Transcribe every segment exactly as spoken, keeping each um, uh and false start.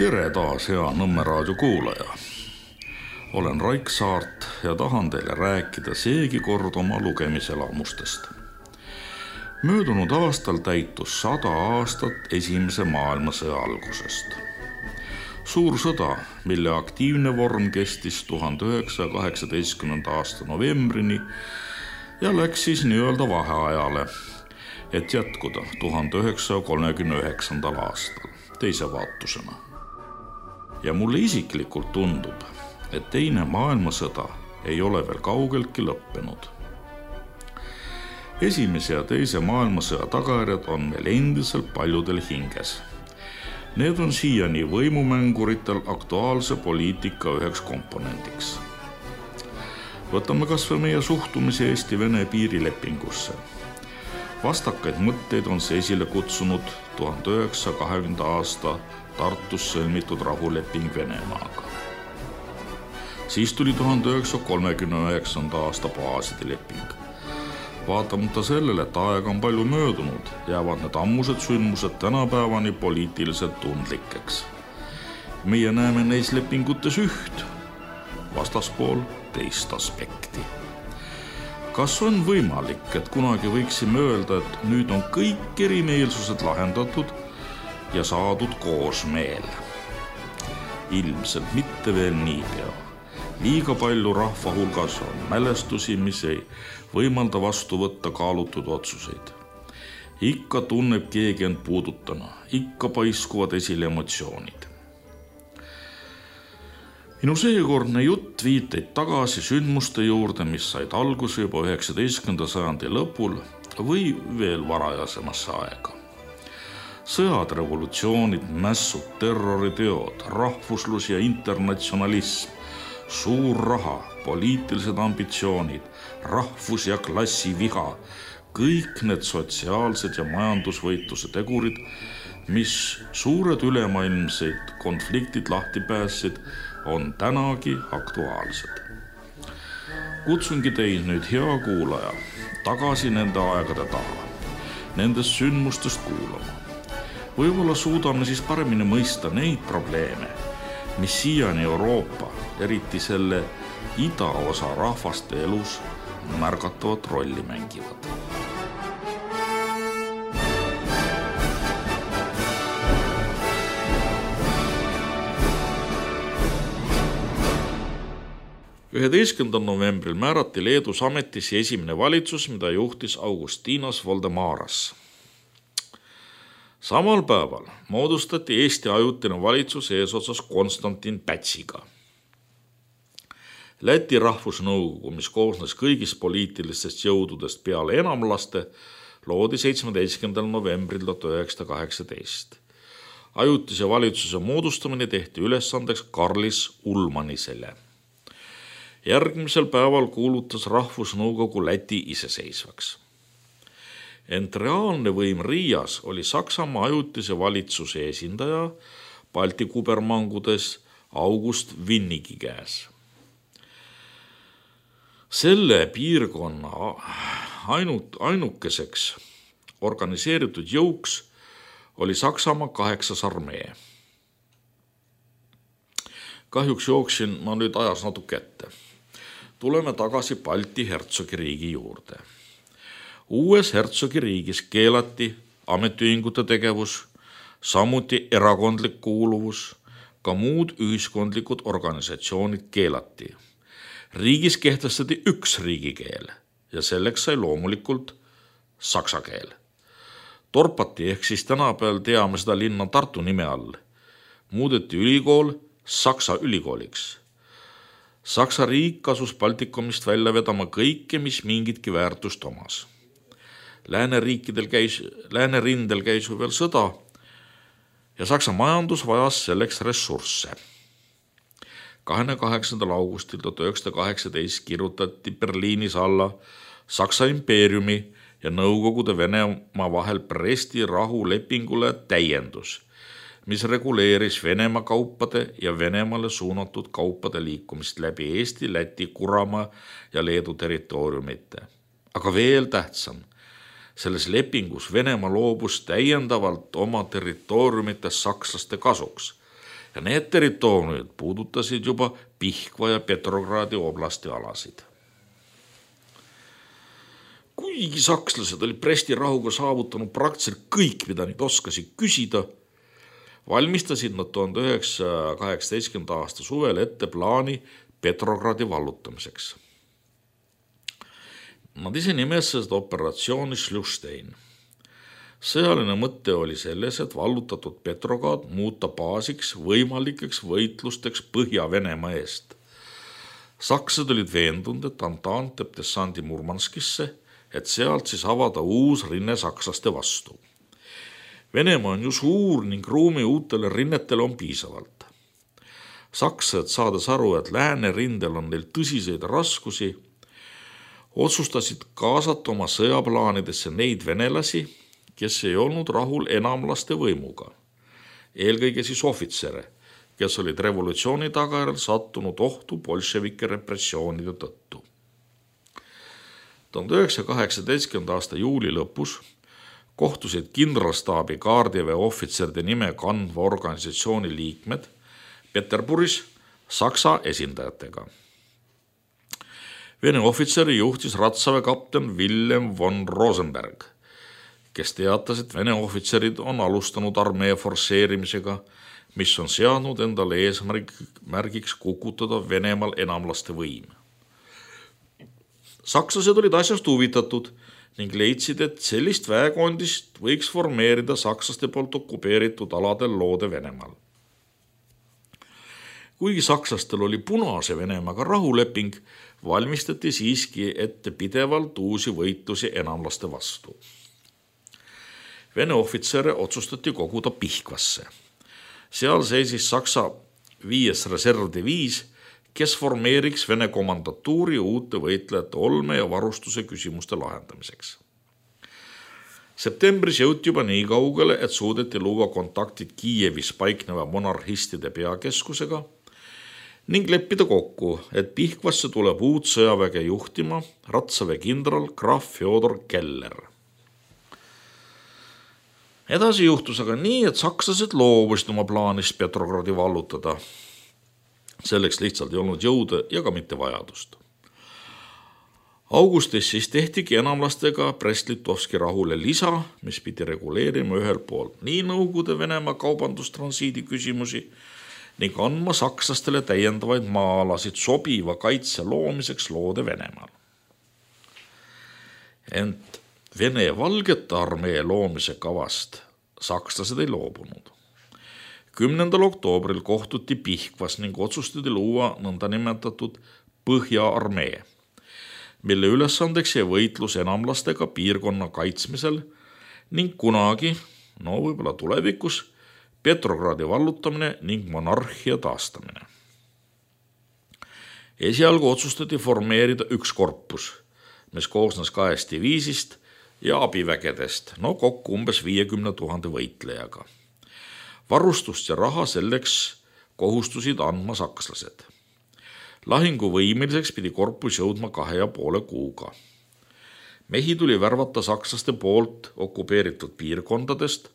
Tere taas, hea Nõmme raadio kuulaja. Olen Raik Saart ja tahan teile rääkida seegi kord oma lugemiselamustest. Möödunud aastal täitus sada aastat esimese maailmasõja algusest. Suur sõda, mille aktiivne vorm kestis tuhande üheksasaja kaheksateistkümnenda aasta novembrini ja läks siis nii-öelda vaheajale, et jätkuda tuhande üheksasaja kolmekümne üheksandal aastal teise vaatusena. Ja mulle isiklikult tundub, et teine maailmasõda ei ole veel kaugeltki lõppenud. Esimese ja teise maailmasõja tagajärjed on meil endiselt paljudel hinges. Need on siiani võimumänguritel aktuaalse poliitika üheks komponendiks. Võtame kas või meie suhtumise Eesti-Vene piirilepingusse. Vastakaid mõtteid on see esile kutsunud tuhande üheksasaja kahekümnenda aasta Tartus sõlmitud rahuleping Venemaaga. Siis tuli tuhande üheksasaja kolmekümne üheksanda aasta baaside leping. Vaatamata sellele, et aega on palju möödunud, jäävad need ammused sündmused tänapäevani poliitiliselt tundlikeks. Meie näeme neis lepingutes üht, vastaspool teist aspekti. Kas on võimalik, et kunagi võiksime öelda, et nüüd on kõik erimeelsused lahendatud ja saadud koosmeel? Ilmselt mitte veel niipea. Liiga palju rahva hulgas on mälestusi, mis ei võimalda vastu võtta kaalutud otsuseid. Ikka tunneb keegi end puudutana, ikka paiskuvad esile emotsioonid. Minu seekordne jutt viiteid tagasi sündmuste juurde, mis said alguse juba üheksateistkümnenda sajandi lõpul või veel varajasemasse aega. Sõjad, revolutsioonid, mässud, terroriteod, rahvuslus ja internatsionalism, suur raha, poliitilised ambitsioonid, rahvus- ja klassiviha, kõik need sotsiaalsed ja majandusvõitluse tegurid, mis suured ülemaailmseid konfliktid lahti päässid, on tänagi aktuaalsed. Kutsungi teid nüüd, hea kuulaja, tagasi nende aegade taha, nendest sündmustest kuulama. Võib-olla suudame siis paremini mõista neid probleeme, mis siiani Euroopa, eriti selle idaosa rahvaste elus märgatavat rolli mängivad. üheteistkümnendal novembril määrati Leedus ametisse esimene valitsus, mida juhtis Augustinas Voldemaras. Samal päeval moodustati Eesti ajutine valitsus eesotsas Konstantin Pätsiga. Läti rahvusnõukogu, mis koosnes kõigist poliitilistest jõududest peale enamlaste, loodi seitsmeteistkümnendal novembril tuhat üheksasada kaheksateist. Ajutise valitsuse moodustamine tehti ülesandeks Karlis Ulmanisele. Järgmisel päeval kuulutas rahvusnõukogu Läti iseseisvaks. Ent reaalne võim Riias oli Saksamaa ajutise valitsuse esindaja Balti kubermangudes August Winnigi käes. Selle piirkonna ainut, ainukeseks organiseeritud jõuks oli Saksamaa kaheksas armee. Kahjuks jooksin ma nüüd ajas natuke ette. Tuleme tagasi Balti hertsogiriigi juurde. Uues hertsogiriigis keelati ametiühingute tegevus, samuti erakondlik kuuluvus, ka muud ühiskondlikud organisatsioonid keelati. Riigis kehtestati üks riigikeel ja selleks sai loomulikult saksa keel. Torpati ehk siis tänapäeval teame seda linna Tartu nime all. Muudeti ülikool Saksa ülikooliks. Saksa riik kasus Baltikumist välja vedama kõike, mis mingitki väärtust omas. Lääneriikidel käis, Läänerindel käis ju veel sõda ja Saksa majandus vajas selleks ressursse. kahekümne kaheksandal augustil tuhat üheksasada kaheksateist kirjutati Berliinis alla Saksa impeeriumi ja Nõukogude Venemaa vahel Bresti rahulepingule täiendus, mis reguleeris Venemaa kaupade ja Venemaale suunatud kaupade liikumist läbi Eesti, Läti, Kuramaa ja Leedu territooriumite. Aga veel tähtsam, selles lepingus Venemaa loobus täiendavalt oma territooriumite sakslaste kasuks ja need territooriumid puudutasid juba Pihkva ja Petrogradi oblasti alasid. Kuigi sakslased olid Bresti rahuga saavutanud praktiliselt kõik, mida neid oskasid küsida, valmistasid nad tuhande üheksasaja kaheksateistkümnenda aasta suvel ette plaani Petrogradi vallutamiseks. Nad ise nimetasid seda operatsiooni Schlüsstein. Sõjaline mõte oli selles, et vallutatud Petrograd muuta baasiks võimalikeks võitlusteks Põhja-Venemaa eest. Sakslased olid veendunud, et Antant teeb dessandi Murmanskisse, et sealt siis avada uus rinne sakslaste vastu. Venemaa on ju suur ning ruumi uutele rinnetele on piisavalt. Sakslased, saades aru, et lääne rindel on neil tõsiseid raskusi, otsustasid kaasata oma sõjaplaanidesse neid venelasi, kes ei olnud rahul enamlaste võimuga, eelkõige siis ohvitsere, kes olid revolutsiooni tagajärjel sattunud ohtu bolševike repressioonide tõttu. tuhande üheksasaja kaheksateistkümnenda aasta juuli lõpus kohtusid kindralstaabi kaardiväe ohvitseride nime kandva organisatsiooni liikmed Peterburis Saksa esindajatega. Vene ohvitseri juhtis ratsaväe kapten Wilhelm von Rosenberg, kes teatas, et Vene ohvitserid on alustanud armee forsseerimisega, mis on seadnud endale eesmärgiks kukutada Venemaal enamlaste võim. Sakslased olid asjast huvitatud ning leidsid, et sellist väekondist võiks formeerida sakslaste poolt okupeeritud aladel loode Venemaal. Kuigi sakslastel oli Punase Venemaaga rahuleping, valmistati siiski ette pidevalt uusi võitlusi enamlaste vastu. Vene ohvitsere otsustati koguda Pihkvasse. Seal seisis Saksa viies reservdiviis, kes formeeriks Vene komandatuuri uute võitlejate olme ja varustuse küsimuste lahendamiseks. Septembris jõuti juba nii kaugele, et suudeti luua kontaktid Kiievis paikneva monarhistide peakeskusega ning leppida kokku, et Pihkvasse tuleb uut sõjaväge juhtima ratsaväe kindral Graf Fjodor Keller. Edasi juhtus aga nii, et sakslased loobusid oma plaanist Petrogradi vallutada. Selleks lihtsalt ei olnud jõude ja ka mitte vajadust. Augustis siis tehtigi enamlastega Brest-Litovski rahule lisa, mis pidi reguleerima ühel poolt nii Nõukogude Venemaa kaubandustransiidi küsimusi ning andma sakslastele täiendavaid maa-alasid sobiva kaitse loomiseks loode Venemaal. Ent Vene valgete armee loomise kavast sakslased ei loobunud. kümnendal oktoobril kohtuti Pihkvas ning otsustati luua nõndanimetatud Põhja-armee, mille ülesandeks jäi võitlus enamlastega piirkonna kaitsmisel ning kunagi, no võib-olla tulevikus, Petrogradi vallutamine ning monarhia taastamine. Esialgu otsustati formeerida üks korpus, mis koosnes kahest diviisist ja abivägedest, no kokku umbes viiekümne tuhande võitlejaga. Varustust ja raha selleks kohustusid andma sakslased. Lahinguvõimeliseks pidi korpus jõudma kahe ja poole kuuga. Mehi tuli värvata sakslaste poolt okupeeritud piirkondadest,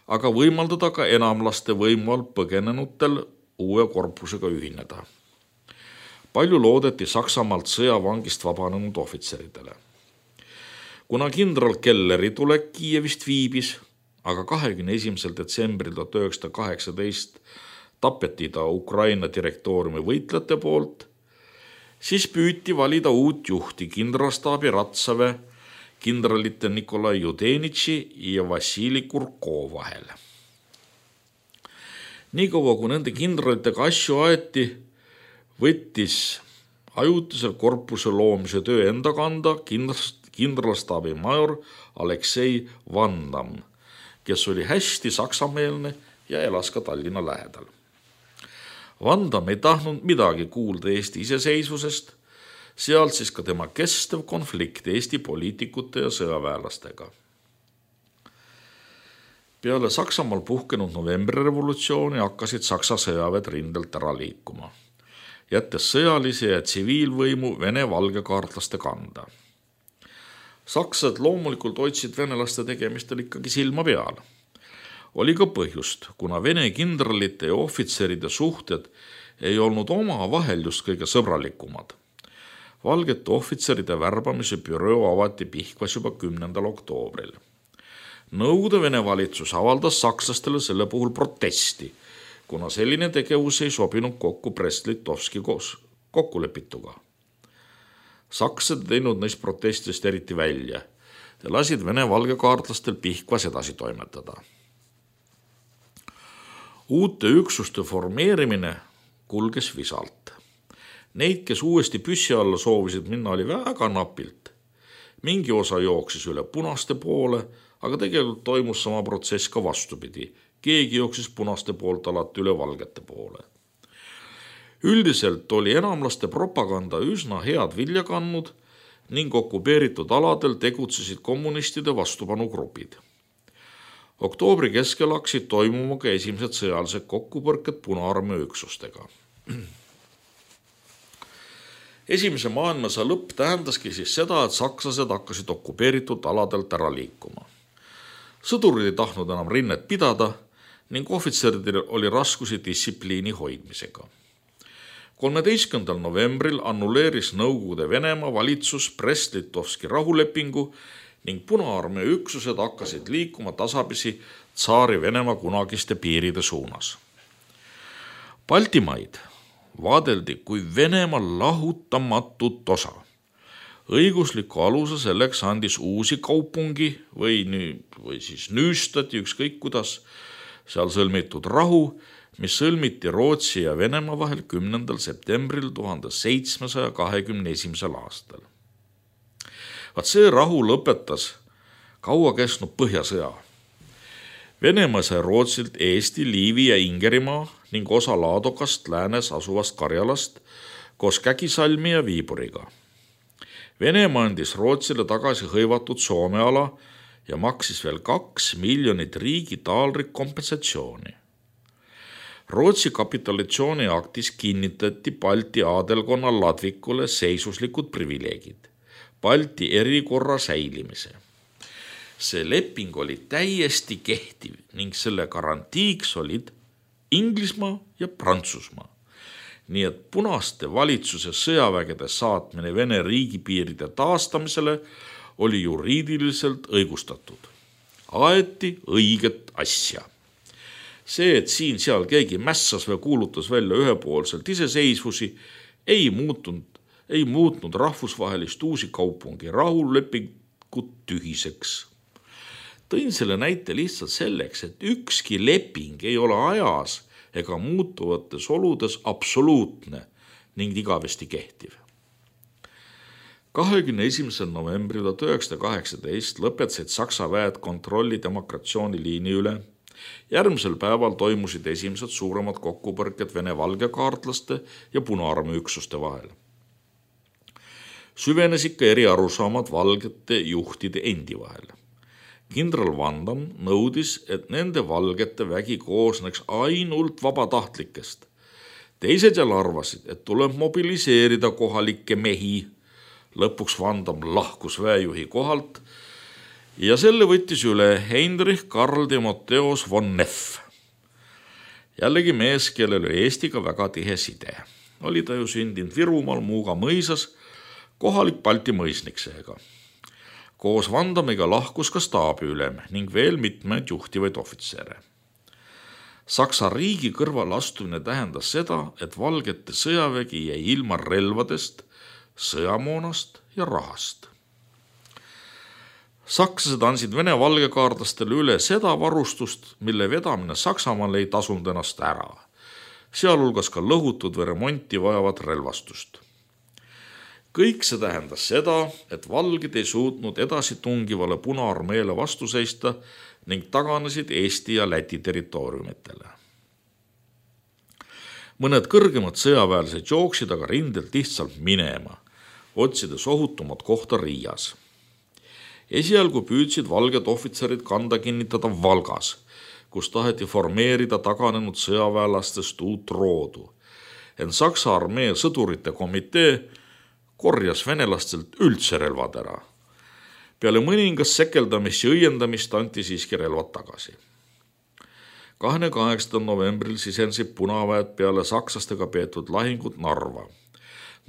aga võimaldada ka enamlaste võimu all põgenenutel uue korpusega ühineda. Palju loodeti Saksamaalt sõjavangist vabanenud ohvitseridele. Kuna kindral Kelleri tulek Kiievist viibis, aga kahekümne esimesel detsembril tuhat üheksasada kaheksateist tapeti ta Ukraina direktooriumi võitlejate poolt, siis püüti valida uut juhti kindralstaabi ratsaväe kindralite Nikolai Judenitši ja Vassili Kurko vahel. Niikaua kui nende kindralitega asju aeti, võttis ajutisel korpuse loomise töö enda kanda kindralstaabi major Aleksei Vandam, kes oli hästi saksameelne ja elas ka Tallinna lähedal. Vandam ei tahtnud midagi kuulda Eesti iseseisvusest, sealt siis ka tema kestev konflikt Eesti poliitikute ja sõjaväelastega. Peale Saksamaal puhkenud novembrirevolutsiooni hakkasid Saksa sõjaväed rindelt ära liikuma, jättes sõjalise ja tsiviilvõimu Vene valgekaartlaste kanda. Sakslased loomulikult hoidsid venelaste tegemistel ikkagi silma peal. Oli ka põhjust, kuna Vene kindralite ja ohvitseride suhted ei olnud omavahel just kõige sõbralikumad. Valgete ohvitseride värbamise büroo avati Pihkvas juba kümnendal oktoobril. Nõukogude Vene valitsus avaldas sakslastele selle puhul protesti, kuna selline tegevus ei sobinud kokku Brest-Litovski kokkulepituga. Sakslased teinud neist protestist eriti välja ja lasid Vene valgekaartlastel Pihkvas edasi toimetada. Uute üksuste formeerimine kulges visalt. Neid, kes uuesti püssi alla soovisid minna, oli väga napilt. Mingi osa jooksis üle punaste poole, aga tegelikult toimus sama protsess ka vastupidi. Keegi jooksis punaste poolt alati üle valgete poole. Üldiselt oli enamlaste propaganda üsna head vilja kandnud ning okupeeritud aladel tegutsesid kommunistide vastupanugrupid. Oktoobri keskel hakkasid toimuma ka esimesed sõjalised kokkupõrked Punaarmee üksustega. Esimese maailmasõja lõpp tähendaski siis seda, et sakslased hakkasid okupeeritud aladelt ära liikuma. Sõdurid ei tahtnud enam rinnet pidada ning ohvitseridel oli raskusi distsipliini hoidmisega. kolmeteistkümnendal novembril annulleeris Nõukogude Venemaa valitsus Brest-Litovski rahulepingu ning Punaarmee üksused hakkasid liikuma tasapisi tsaari Venemaa kunagiste piiride suunas. Baltimaid vaadeldi kui Venemaa lahutamatut osa. Õigusliku aluse selleks andis uusi kaupungi või, või siis nüüstati ükskõik kuidas seal sõlmitud rahu, mis sõlmiti Rootsi ja Venemaa vahel kümnendal septembril tuhande seitsmesaja kahekümne esimesel aastal. Vaat see rahu lõpetas kaua kestnud Põhjasõja. Venemaa sai Rootsilt Eesti, Liivi ja Ingerimaa ning osa Laadokast läänes asuvast Karjalast koos Kägisalmi ja Viiburiga. Venemaa andis Rootsile tagasi hõivatud Soome ala ja maksis veel kaks miljonit riigi taalrik kompensatsiooni. Rootsi kapitulatsiooni aktis kinnitati Balti aadelkonna ladvikule seisuslikud privileegid, Balti erikorra säilimise. See leping oli täiesti kehtiv ning selle garantiiks olid Inglismaa ja Prantsusmaa. Nii et punaste valitsuse sõjavägede saatmine Vene riigipiiride taastamisele oli juriidiliselt õigustatud. Aeti õiget asja. See, et siin seal keegi mässas või kuulutas välja ühepoolselt iseseisvusi, ei muutnud, ei muutnud rahvusvahelist uusi kaupungi rahulepingut tühiseks. Tõin selle näite lihtsalt selleks, et ükski leping ei ole ajas ega muutuvates oludes absoluutne ning igavesti kehtiv. kahekümne esimesel novembril tuhat üheksasada kaheksateist lõpetasid Saksa väed kontrolli demarkatsiooniliini üle. Järgmisel päeval toimusid esimesed suuremad kokkupõrked Vene valgekaartlaste ja Punaarmee üksuste vahel. Süvenes ikka eri arusaamad valgete juhtide endi vahel. Kindral Vandam nõudis, et nende valgete vägi koosneks ainult vabatahtlikest. Teised jälle arvasid, et tuleb mobiliseerida kohalikke mehi. Lõpuks Vandam lahkus väejuhi kohalt ja selle võttis üle Heinrich Karl Timoteus von Neff. Jällegi mees, kellel oli Eestiga väga tihe side. Oli ta ju sündinud Virumaal Muuga mõisas, kohalik Balti mõisnik seega. Koos Vandamiga lahkus ka staabiülem ning veel mitmeid juhtivaid ohvitsere. Saksa riigi kõrval astumine tähendas seda, et valgete sõjavägi jäi ilma relvadest, sõjamoonast ja rahast. Sakslased andsid Vene valgekaartlastele üle seda varustust, mille vedamine Saksamaal ei tasunud ennast ära, sealhulgas ka lõhutud või remonti vajavat relvastust. Kõik see tähendas seda, et valged ei suutnud edasi tungivale Punaarmeele vastu seista ning taganesid Eesti ja Läti territooriumitele. Mõned kõrgemad sõjaväelised jooksid aga rindelt lihtsalt minema, otsides ohutumat kohta Riias. Esialgu püüdsid valged ohvitserid kanda kinnitada Valgas, kus taheti formeerida taganenud sõjaväelastest uut roodu. Ent Saksa armee sõdurite komitee korjas venelastelt üldse relvad ära. Peale mõningast sekeldamist ja õiendamist anti siiski relvad tagasi. kahekümne kaheksandal novembril sisendasid punaväed peale sakslastega peetud lahingut Narva.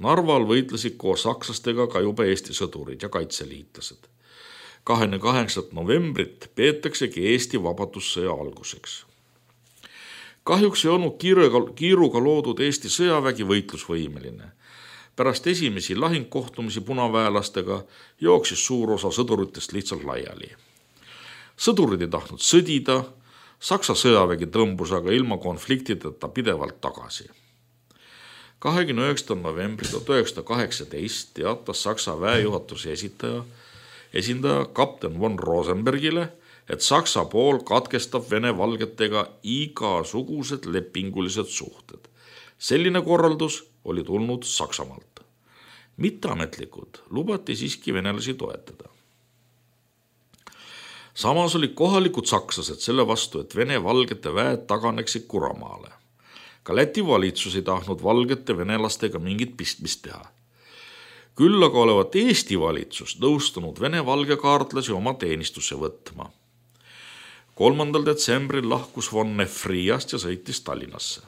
Narval võitlesid koos sakslastega ka juba Eesti sõdurid ja kaitseliitlased. kahekümne kaheksandat novembrit peetaksegi Eesti vabadussõja alguseks. Kahjuks ei olnud kiiruga, kiiruga loodud Eesti sõjavägi võitlusvõimeline. Pärast esimesi lahingkohtumisi punaväelastega jooksis suur osa sõduritest lihtsalt laiali. Sõdurid ei tahtnud sõdida, Saksa sõjavägi tõmbus aga ilma konfliktideta pidevalt tagasi. kahekümne üheksandal novembril tuhat üheksasada kaheksateist teatas Saksa väejuhatuse esitaja, esindaja kapten von Rosenbergile, et Saksa pool katkestab Vene valgetega igasugused lepingulised suhted. Selline korraldus oli tulnud Saksamaalt. Mitteametlikud lubati siiski venelasi toetada. Samas olid kohalikud sakslased selle vastu, et Vene valgete väed taganeksid Kuramaale. Ka Läti valitsus ei tahtnud valgete venelastega mingit pistmist teha. Küll aga olevat Eesti valitsus nõustunud Vene valgekaartlasi oma teenistusse võtma. kolmandal detsembril lahkus von Neff Riiast ja sõitis Tallinnasse.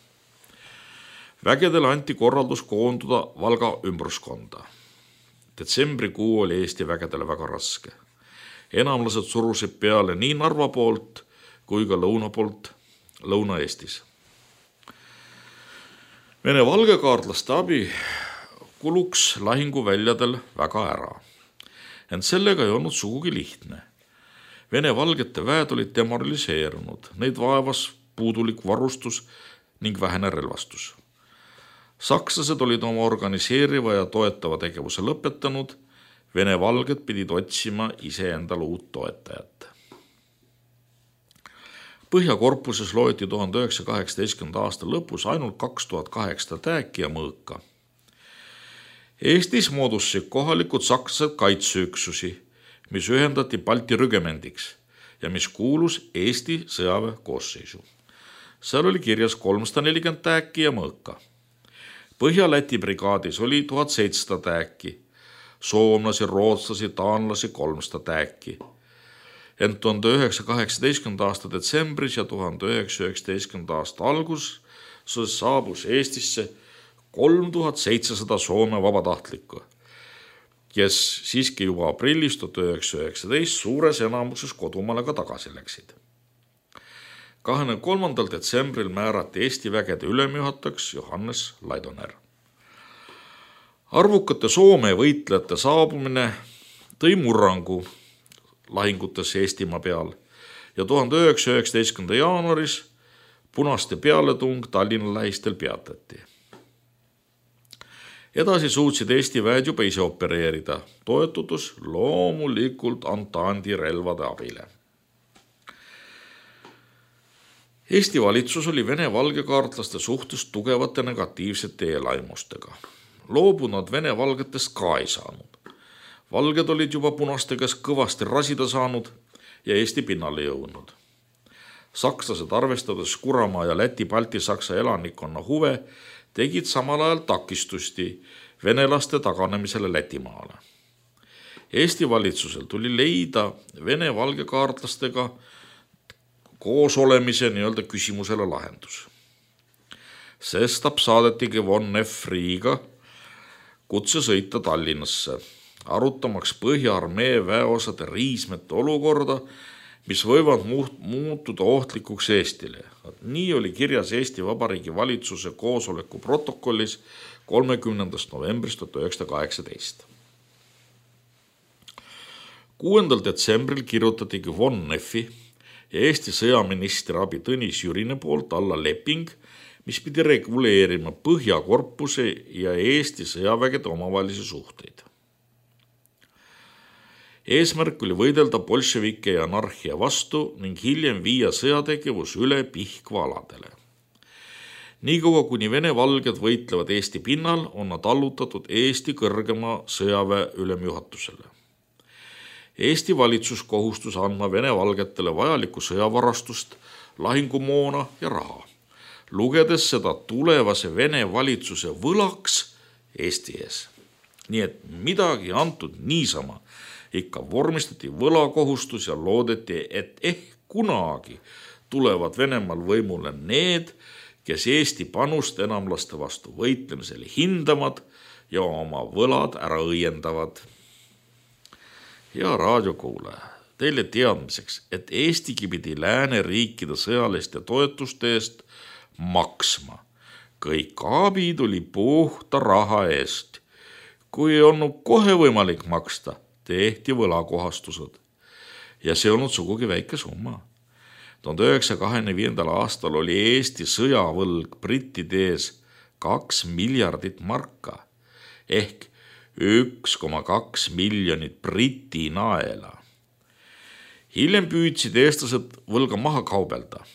Vägedele anti korraldus koonduda Valga ümbruskonda. Detsembrikuu oli Eesti vägedele väga raske. Enamlased surusid peale nii Narva poolt kui ka lõuna poolt Lõuna-Eestis. Vene valgekaartlaste abi kuluks lahinguväljadel väga ära. Ent sellega ei olnud sugugi lihtne. Vene valgete väed olid demoraliseerunud, neid vaevas puudulik varustus ning vähene relvastus. Sakslased olid oma organiseeriva ja toetava tegevuse lõpetanud, Vene valged pidid otsima iseendale uut toetajat. Põhjakorpuses loeti tuhande üheksasaja kaheksateistkümnenda aasta lõpus ainult kaks tuhat kaheksasada tääki ja mõõka. Eestis moodustasid kohalikud sakslased kaitseüksusi, mis ühendati Balti rügemendiks ja mis kuulus Eesti sõjaväe koosseisu. Seal oli kirjas kolmsada nelikümmend tääki ja mõõka. Põhja-Läti brigaadis oli tuhat seitsesada tääki, soomlasi, rootslasi, taanlasi kolmsada tääki. Ent tuhande üheksasaja kaheksateistkümnenda aasta detsembris ja tuhande üheksasaja üheksateistkümnenda aasta algus saabus Eestisse kolm tuhat seitsesada Soome vabatahtlikku, kes siiski juba aprillis tuhat üheksasada üheksateist suures enamuses kodumaale ka tagasi läksid. kahekümne kolmandal detsembril määrati Eesti vägede ülemjuhatajaks Johannes Laidoner. Arvukate Soome võitlejate saabumine tõi murrangu lahingutes Eestimaa peal ja tuhande üheksasaja üheksateistkümnenda jaanuaris punaste pealetung Tallinna lähistel peatati. Edasi suutsid Eesti väed juba ise opereerida, toetudes loomulikult Antandi relvade abile. Eesti valitsus oli Vene valgekaartlaste suhtes tugevate negatiivsete eelaimustega. Loobunud Vene valgetest ka ei saanud. Valged olid juba punaste käes kõvasti rasida saanud ja Eesti pinnale jõudnud. Sakslased, arvestades Kuramaa ja Läti-Balti-Saksa elanikkonna huve, tegid samal ajal takistusti venelaste taganemisele Lätimaale. Eesti valitsusel tuli leida Vene valgekaartlastega koos olemise nii-öelda küsimusele lahendus. Sestap saadetigi von Neff Riiga kutse sõita Tallinnasse, arutamaks Põhja-armee väeosade riismete olukorda, mis võivad muutuda ohtlikuks Eestile. Nii oli kirjas Eesti Vabariigi valitsuse koosoleku protokollis kolmekümnendast novembrist tuhat üheksasada kaheksateist. kuuendal detsembril kirjutatigi von Neffi ja Eesti sõjaministri abi Tõnis Jürine poolt alla leping, mis pidi reguleerima Põhjakorpuse ja Eesti sõjavägede omavahelisi suhteid. Eesmärk oli võidelda bolševike ja anarhia vastu ning hiljem viia sõjategevus üle Pihkva aladele. Niikaua kuni Vene valged võitlevad Eesti pinnal, on nad allutatud Eesti kõrgema sõjaväe ülemjuhatusele. Eesti valitsus kohustus andma Vene valgetele vajalikku sõjavarastust, lahingumoona ja raha, lugedes seda tulevase Vene valitsuse võlaks Eesti ees. Nii et midagi antud niisama ikka vormistati võlakohustus ja loodeti, et ehk kunagi tulevad Venemaal võimule need, kes Eesti panust enamlaste vastu võitlemisel hindamad ja oma võlad ära õiendavad. Hea raadiokuulaja, teile teadmiseks, et Eestigi pidi lääneriikide sõjaliste toetuste eest maksma. Kõik abi tuli puhta raha eest. Kui ei olnud kohe võimalik maksta, tehti võlakohastused. Ja see olnud sugugi väike summa. tuhande üheksasaja kahekümne viiendal aastal oli Eesti sõjavõlg brittide ees kaks miljardit marka ehk üks koma kaks miljonit briti naela. Hiljem püüdsid eestlased võlga maha kaubelda.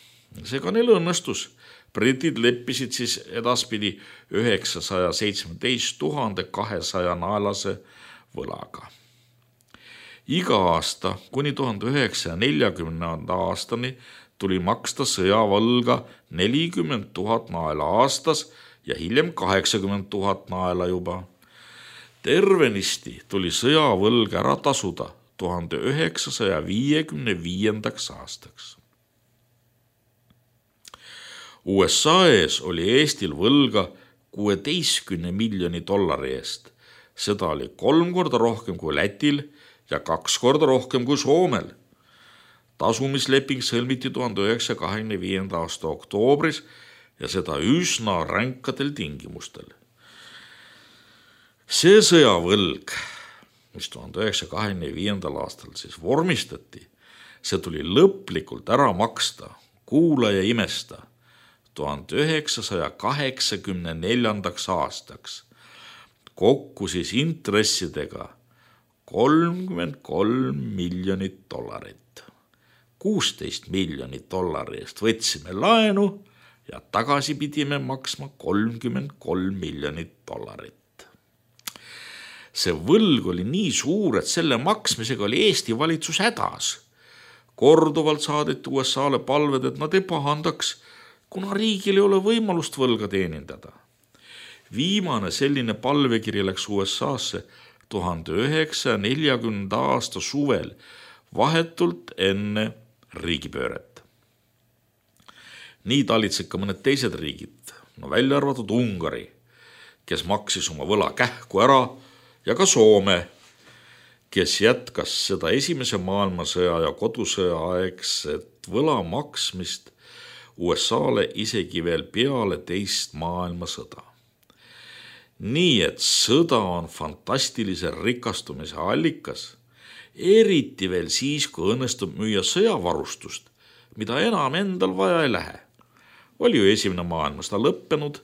Seega neil õnnestus. Britid leppisid siis edaspidi üheksasaja seitsmeteist tuhande kahesaja naelase võlaga. Iga aasta kuni tuhande üheksasaja neljakümnenda aastani tuli maksta sõjavõlga nelikümmend tuhat naela aastas ja hiljem kaheksakümmend tuhat naela juba. Tervenisti tuli sõjavõlg ära tasuda tuhande üheksasaja viiekümne viiendaks aastaks. U S A ees oli Eestil võlga kuueteistkümne miljoni dollari eest. Seda oli kolm korda rohkem kui Lätil ja kaks korda rohkem kui Soomel. Tasumisleping sõlmiti tuhande üheksasaja kahekümne viienda aasta oktoobris ja seda üsna ränkadel tingimustel. See sõjavõlg, mis tuhande üheksasaja kahekümne viiendal aastal siis vormistati, see tuli lõplikult ära maksta, kuula ja imesta, tuhande üheksasaja kaheksakümne neljandaks aastaks. Kokku siis intressidega kolmkümmend kolm miljonit dollarit. kuusteist miljonit dollari eest võtsime laenu ja tagasi pidime maksma kolmkümmend kolm miljonit dollarit. See võlg oli nii suur, et selle maksmisega oli Eesti valitsus hädas. Korduvalt saadeti U S A-le palved, et nad ei pahandaks, kuna riigil ei ole võimalust võlga teenindada. Viimane selline palvekiri läks U S A-sse tuhande üheksasaja neljakümnenda aasta suvel, vahetult enne riigipööret. Nii talitsid ka mõned teised riigid, no välja arvatud Ungari, kes maksis oma võla kähku ära, ja ka Soome, kes jätkas seda esimese maailmasõja ja kodusõja aegset võla maksmist U S A-le isegi veel peale teist maailmasõda. Nii et sõda on fantastilise rikastumise allikas, eriti veel siis, kui õnnestub müüa sõjavarustust, mida enam endal vaja ei lähe. Oli ju esimene maailmasõda lõppenud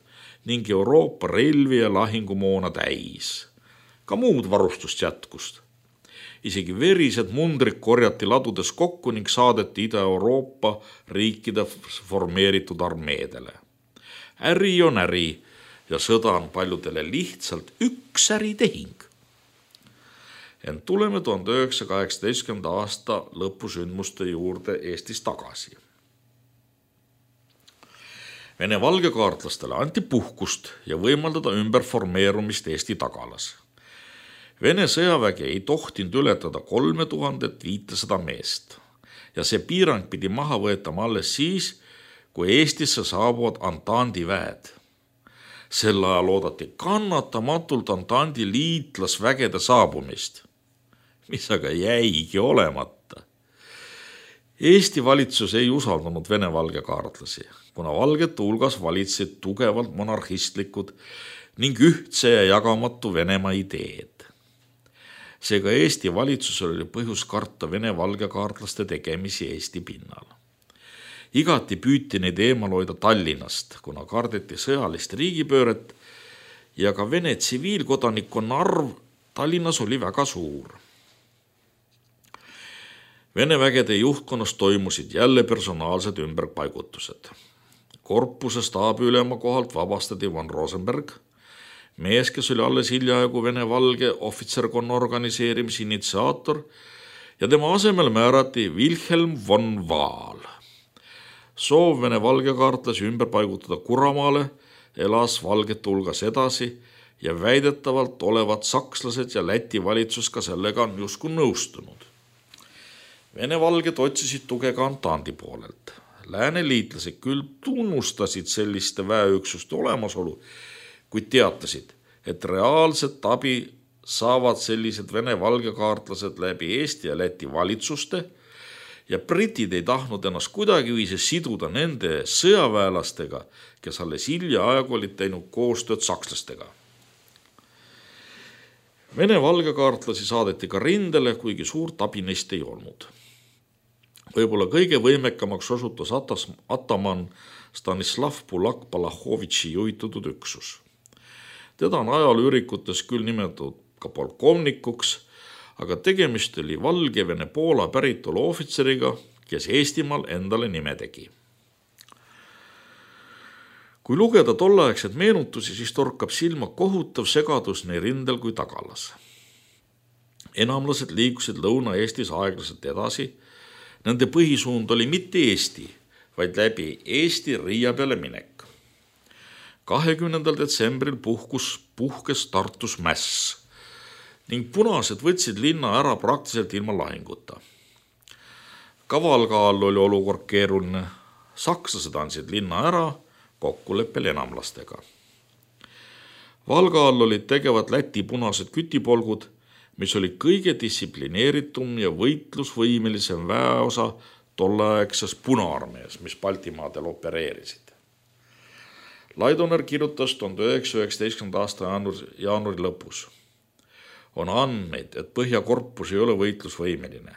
ning Euroopa relvi ja lahingumoona täis. Ka muud varustust jätkust. Isegi verised mundrid korjati ladudes kokku ning saadeti Ida-Euroopa riikide formeeritud armeedele. Äri on äri ja sõda on paljudele lihtsalt üks äritehing. Ent tuleme tuhande üheksasaja kaheksateistkümnenda aasta lõpusündmuste juurde Eestis tagasi. Vene valgekaartlastele anti puhkust ja võimaldada ümberformeerumist Eesti tagalas. Vene sõjavägi ei tohtinud ületada kolme tuhandet viissada meest ja see piirang pidi maha võetama alles siis, kui Eestisse saabuvad Antandi väed. Sel ajal oodati kannatamatult Antandi liitlasvägede saabumist, mis aga jäigi olemata. Eesti valitsus ei usaldanud Vene valgekaartlasi, kuna valgete hulgas valitsid tugevalt monarhistlikud ning ühtse ja jagamatu Venemaa ideed. Seega Eesti valitsusel oli põhjus karta Vene valgekaartlaste tegemisi Eesti pinnal. Igati püüti neid eemal hoida Tallinnast, kuna kardeti sõjalist riigipööret ja ka Vene tsiviilkodanikkonna arv Tallinnas oli väga suur. Vene vägede juhtkonnas toimusid jälle personaalsed ümberpaigutused. Korpuse staabiülema kohalt vabastati von Rosenberg, mees, kes oli alles hiljaaegu Vene valge ohvitserkonna organiseerimise initsiaator, ja tema asemel määrati Wilhelm von Waal. Soov Vene valgekaartlasi ümber paigutada Kuramaale elas valgete hulgas edasi ja väidetavalt olevat sakslased ja Läti valitsus ka sellega on justkui nõustunud. Vene valged otsisid tuge ka Antandi poolelt. lääneliitlased küll tunnustasid selliste väeüksuste olemasolu, kuid teatasid, et reaalset abi saavad sellised vene valgekaartlased läbi Eesti ja Läti valitsuste ja britid ei tahtnud ennast kuidagiviisi siduda nende sõjaväelastega, kes alles hiljaaegu olid teinud koostööd sakslastega. Vene valgekaartlasi saadeti ka rindele, kuigi suurt abi neist ei olnud. Võib-olla kõige võimekamaks osutus ataman Stanislav Bulak-Balachovitši juhitatud üksus. Teda on ajalüürikutes küll nimetatud ka polkovnikuks, aga tegemist oli Valgevene Poola päritolu ohvitseriga, kes Eestimaal endale nime tegi. Kui lugeda tolleaegseid meenutusi, siis torkab silma kohutav segadus nii rindel kui tagalas. Enamlased liikusid Lõuna-Eestis aeglaselt edasi. Nende põhisuund oli mitte Eesti, vaid läbi Eesti Riia peale minek. kahekümnendal detsembril puhkus, puhkes Tartus mäss ning punased võtsid linna ära praktiliselt ilma lahinguta. Kavalga all oli olukord keeruline. Sakslased andsid linna ära kokkuleppel enamlastega. Valga all olid tegevad Läti punased kütipolgud, mis oli kõige distsiplineeritum ja võitlusvõimelisem väeosa tolleaegses punaarmees, mis Baltimaadel opereerisid. Laidoner kirjutas tuhande üheksasaja üheksateistkümnenda aasta jaanuari, jaanuari lõpus. On andmeid, et Põhjakorpus ei ole võitlusvõimeline.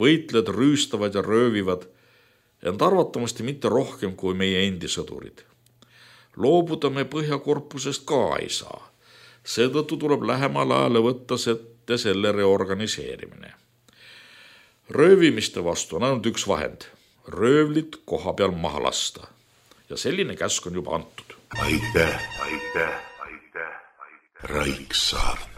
Võitlejad rüüstavad ja röövivad, ent arvatamasti mitte rohkem kui meie endi sõdurid. Loobuda me Põhjakorpusest ka ei saa. Seetõttu tuleb lähemal ajale võtta sette selle reorganiseerimine. Röövimiste vastu on ainult üks vahend. Röövlit koha peal maha lasta. Ja selline käsk on juba antud. Aitäh, aitäh, aitäh, aitäh. Raiksaar.